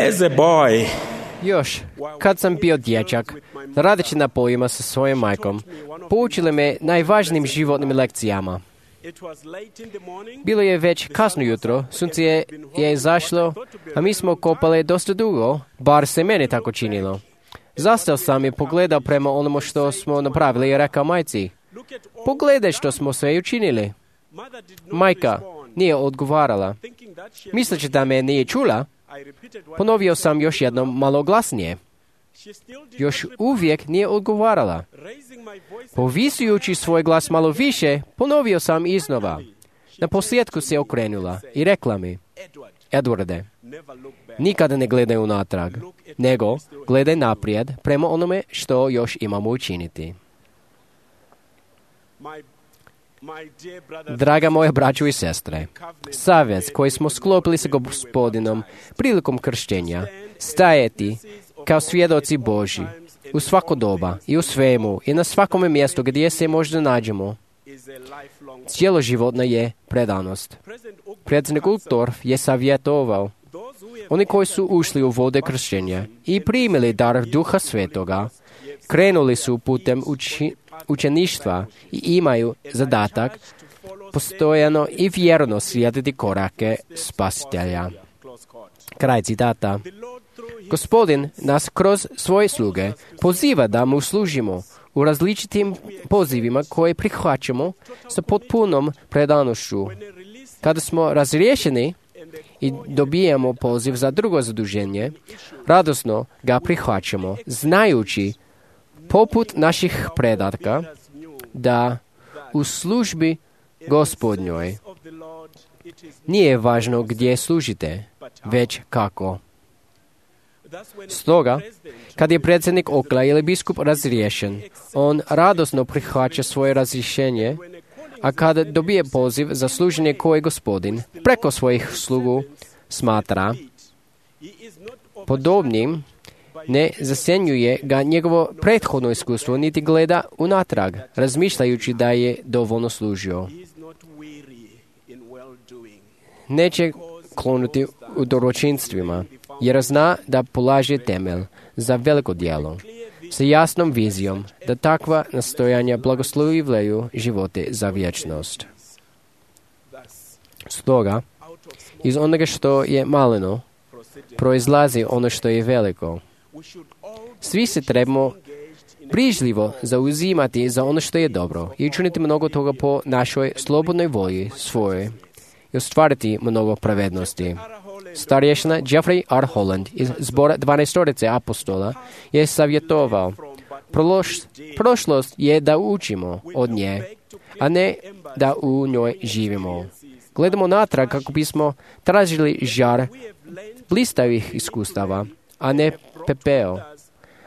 As a boy, Još, kad sam bio dječak, radeći na poljima sa svojom majkom, poučili me najvažnijim životnim lekcijama. Bilo je već kasno jutro, sunce je izašlo, a mi smo kopali dosta dugo, bar se meni tako činilo. Zastao sam i pogledao prema onomu što smo napravili i rekao majci, pogledaj što smo sve učinili. Majka nije odgovarala. Misleći da me nije čula, ponovio sam još jednom malo glasnije. Još uvijek nije odgovarala. Povisujući svoj glas malo više, ponovio sam iznova. Na posljedku se okrenula i rekla mi, Edwarde, nikada ne gledaj unatrag, nego gledaj naprijed prema onome što još imamo učiniti. Draga moja braćo i sestre, savez koji smo sklopili sa Gospodinom prilikom krštenja, stajati kao svjedoci Božji u svako doba i u svemu i na svakome mjestu gdje se možda nađemo, cijeloživotna je predanost. Predsjednik Uchtdorf je savjetovao oni koji su ušli u vode krštenja i primili dar Duha Svetoga, krenuli su putem učeništva i imaju zadatak postojano i vjerno slijediti korake Spasitelja. Kraj citata. Gospodin nas kroz svoje sluge poziva da mu služimo u različitim pozivima koje prihvaćamo sa potpunom predanošću. Kada smo razriješeni i dobijemo poziv za drugo zaduženje, radosno ga prihvaćamo, znajući poput naših predatka da u službi Gospodnjoj nije važno gdje služite, već kako. Stoga, kad je predsjednik okla ili biskup razriješen, on radosno prihvaća svoje razrješenje, a kada dobije poziv za služenje koje Gospodin preko svojih slugu smatra podobnim, ne zasjenjuje ga njegovo prethodno iskustvo, niti gleda unatrag, razmišljajući da je dovoljno služio. Neće klonuti u dobročinstvima, jer zna da polaže temelj za veliko djelo, sa jasnom vizijom da takva nastojanja blagoslovljaju živote za vječnost. Stoga, iz onoga što je maleno, proizlazi ono što je veliko. Svi se trebamo brižljivo zauzimati za ono što je dobro i učiniti mnogo toga po našoj slobodnoj volji svojoj i ostvariti mnogo pravednosti. Starješina Jeffrey R. Holland iz zbora 12 apostola je savjetovao, prošlost je da učimo od nje, a ne da u njoj živimo. Gledamo natrag kako bismo tražili žar blistavih iskustava, a ne pepeo.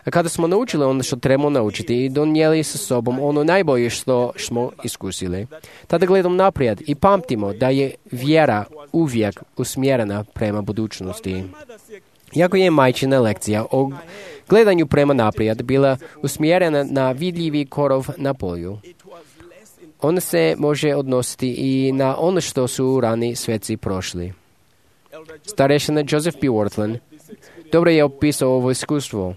A kada smo naučili ono što trebamo naučiti i donijeli sa sobom ono najbolje što smo iskusili, tada gledamo naprijed i pamtimo da je vjera uvijek usmjerena prema budućnosti. Iako je majčina lekcija o gledanju prema naprijed bila usmjerena na vidljivi korov na polju, ona se može odnositi i na ono što su rani sveci prošli. Starešina Joseph P. Worthlin dobro je opisao ovo iskustvo.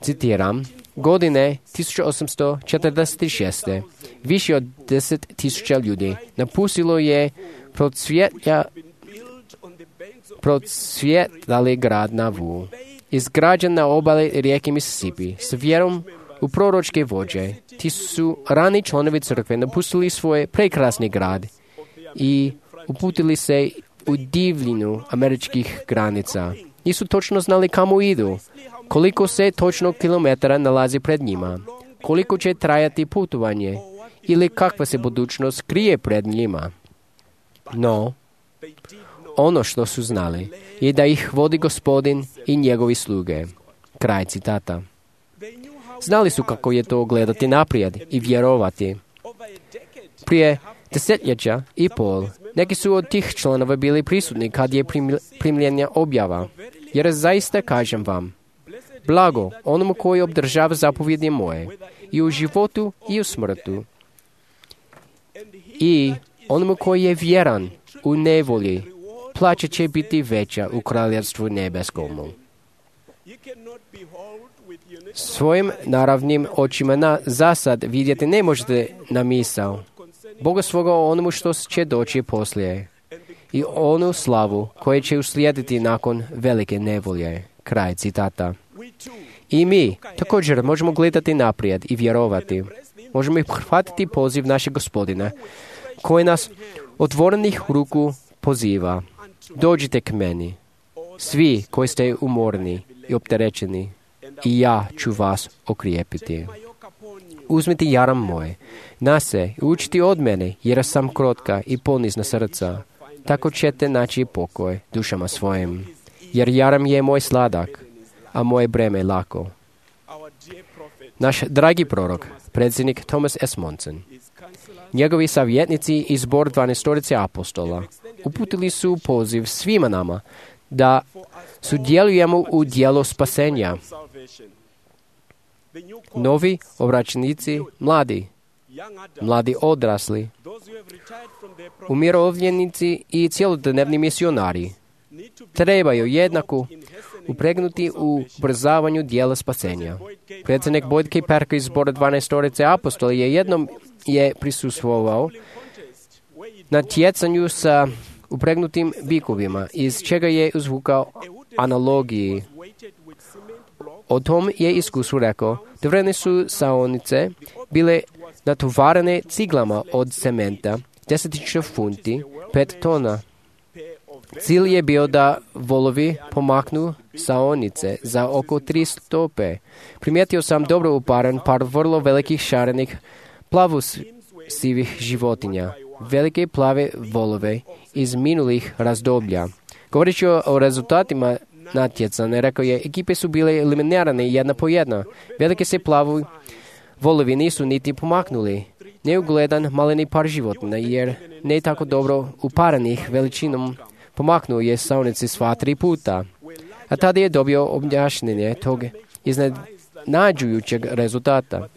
Citiram, godine 1846. više od 10,000 ljudi napustilo je procvjetali grad Nauvoo, izgrađen na obali rijeke Mississippi, s vjerom u proročke vođe. Ti su rani članovi crkve napustili svoj prekrasni grad i uputili se u divljinu američkih granica. Nisu točno znali kamo idu, koliko se točno kilometara nalazi pred njima, koliko će trajati putovanje ili kakva se budućnost krije pred njima. No, ono što su znali je da ih vodi Gospodin i njegovi sluge. Kraj citata. Znali su kako je to gledati naprijed i vjerovati. Prije 10 i pol, neki su od tih članova bili prisutni kad je primljena objava, jer zaista kažem vam, blago onomu koji obdržava zapovjedi moje, i u životu i u smrtu, i onomu koji je vjeran u nevolji plaća će biti veća u kraljevstvu nebeskomu. Svojim naravnim očima zasad vidjeti ne možete na misao Boga svoga o onomu što će doći poslije i onu slavu koja će uslijediti nakon velike nevolje. Kraj citata. I mi također možemo gledati naprijed i vjerovati. Možemo i prihvatiti poziv našeg Gospodina koji nas otvorenih ruku poziva. Dođite k meni, svi koji ste umorni i opterećeni, i ja ću vas okrijepiti. Uzmite jaram moj na se i učiti od mene, jer sam krotka i ponizna srca. Tako ćete naći pokoj dušama svojim, jer jaram je moj sladak, a moje breme lako. Naš dragi prorok, predsjednik Thomas S. Monson, njegovi savjetnici i zbor 12 apostola uputili su poziv svima nama da sudjelujemo u dijelu spasenja. Novi obraćenici, mladi odrasli, umirovljenici i cjelodnevni misionari trebaju jednako upregnuti u ubrzavanju dijela spasenja. Predsjednik Boyd K. Parker iz zbora 12 apostola jednom je prisustvovao na tjecanju sa upregnutim bikovima, iz čega je izvukao analogiji. O tom je iskusu rekao, drvene su saonice bile natovarene ciglama od cementa, 10.000 funti, 5 tona. Cilj je bio da volovi pomaknu saonice za oko 3 stope. Primijetio sam dobro uparen par vrlo velikih šarenih plavosivih životinja, velike plave volove iz minulih razdoblja. Govoreći o rezultatima natjecanja, rekao je, ekipe su bile eliminirane jedna po jedna. Velike se plavi volovi nisu niti pomaknuli. Neugledan maleni par životinja, jer ne tako dobro uparenih veličinom pomaknuo je saonici sva 3 puta. A tada je dobio objašnjenje tog iznenađujućeg rezultata.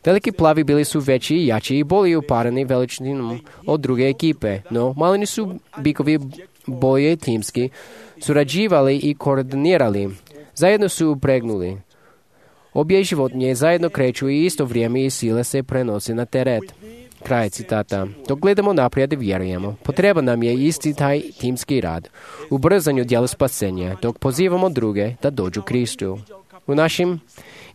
Veliki plavi bili su veći i jači i bolje upareni veličinom od druge ekipe, no maleni su bikovi bolje timski surađivali i koordinirali. Zajedno su upregnuli. Obje životinje zajedno kreću i isto vrijeme i sile se prenose na teret. Kraj citata. Dok gledamo naprijed i vjerujemo, potreba nam je isti taj timski rad, u brzanju dijela spasenja, dok pozivamo druge da dođu Kristu. U našim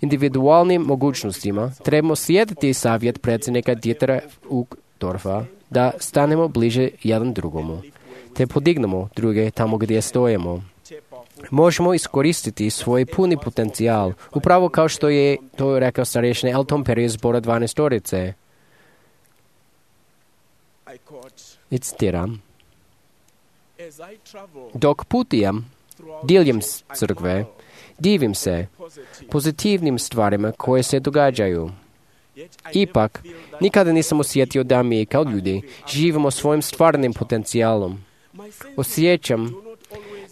individualnim mogućnostima trebamo slijediti savjet predsjednika Dietera Uchtdorfa da stanemo bliže jedan drugomu, te podignemo druge tamo gdje stojimo. Možemo iskoristiti svoj puni potencijal, upravo kao što je to rekao starješni Elton Perry iz zbora 12. I citiram: dok putujem diljem crkve, divim se pozitivnim stvarima koje se događaju. Ipak, nikada nisam osjetio da mi kao ljudi živimo svojim stvarnim potencijalom. Osjećam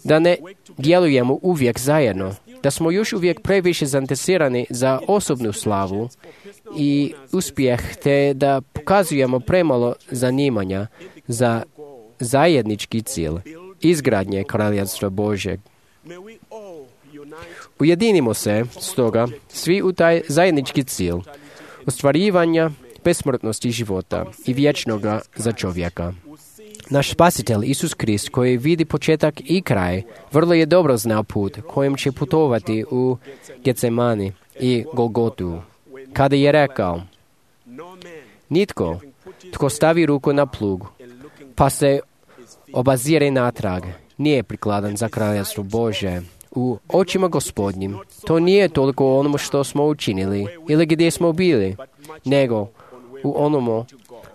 da ne djelujemo uvijek zajedno, da smo još uvijek previše zainteresirani za osobnu slavu i uspjeh, te da pokazujemo premalo zanimanja za zajednički cilj, izgradnje kraljevstva Božjeg. Ujedinimo se, stoga, svi u taj zajednički cilj, ostvarivanja besmrtnosti života i vječnoga za čovjeka. Naš spasitelj Isus Krist, koji vidi početak i kraj, vrlo je dobro znao put kojim će putovati u Getsemani i Golgotu, kada je rekao: nitko tko stavi ruku na plug pa se obazire natrag nije prikladan za kraljevstvo Božje. U očima Gospodnjim to nije toliko onomu što smo učinili ili gdje smo bili, nego u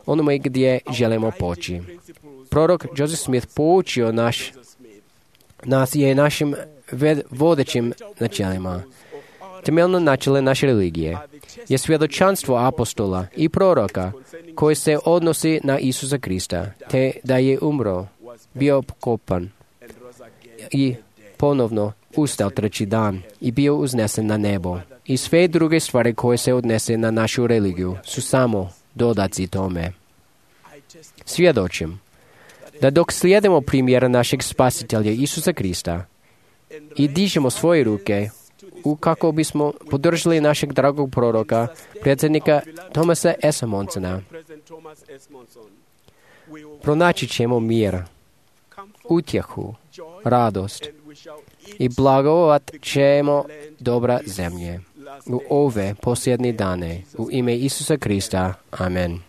onome gdje želimo poći. Prorok Joseph Smith poučio nas je našim vodećim načelima. Temeljno načelo naše religije je svjedočanstvo apostola i proroka koje se odnosi na Isusa Krista, te da je umro, bio pokopan i ponovno ustao 3. dan i bio uznesen na nebo. I sve druge stvari koje se odnese na našu religiju su samo dodaci tome. Svjedočim da dok slijedimo primjera našeg spasitelja Isusa Krista i dižemo svoje ruke kako bismo podržali našeg dragog proroka, predsjednika Thomasa S. Monsona, pronaći ćemo mir, utjehu, radost i blagovat ćemo dobra zemlje u ove posljednje dane. U ime Isusa Krista. Amen.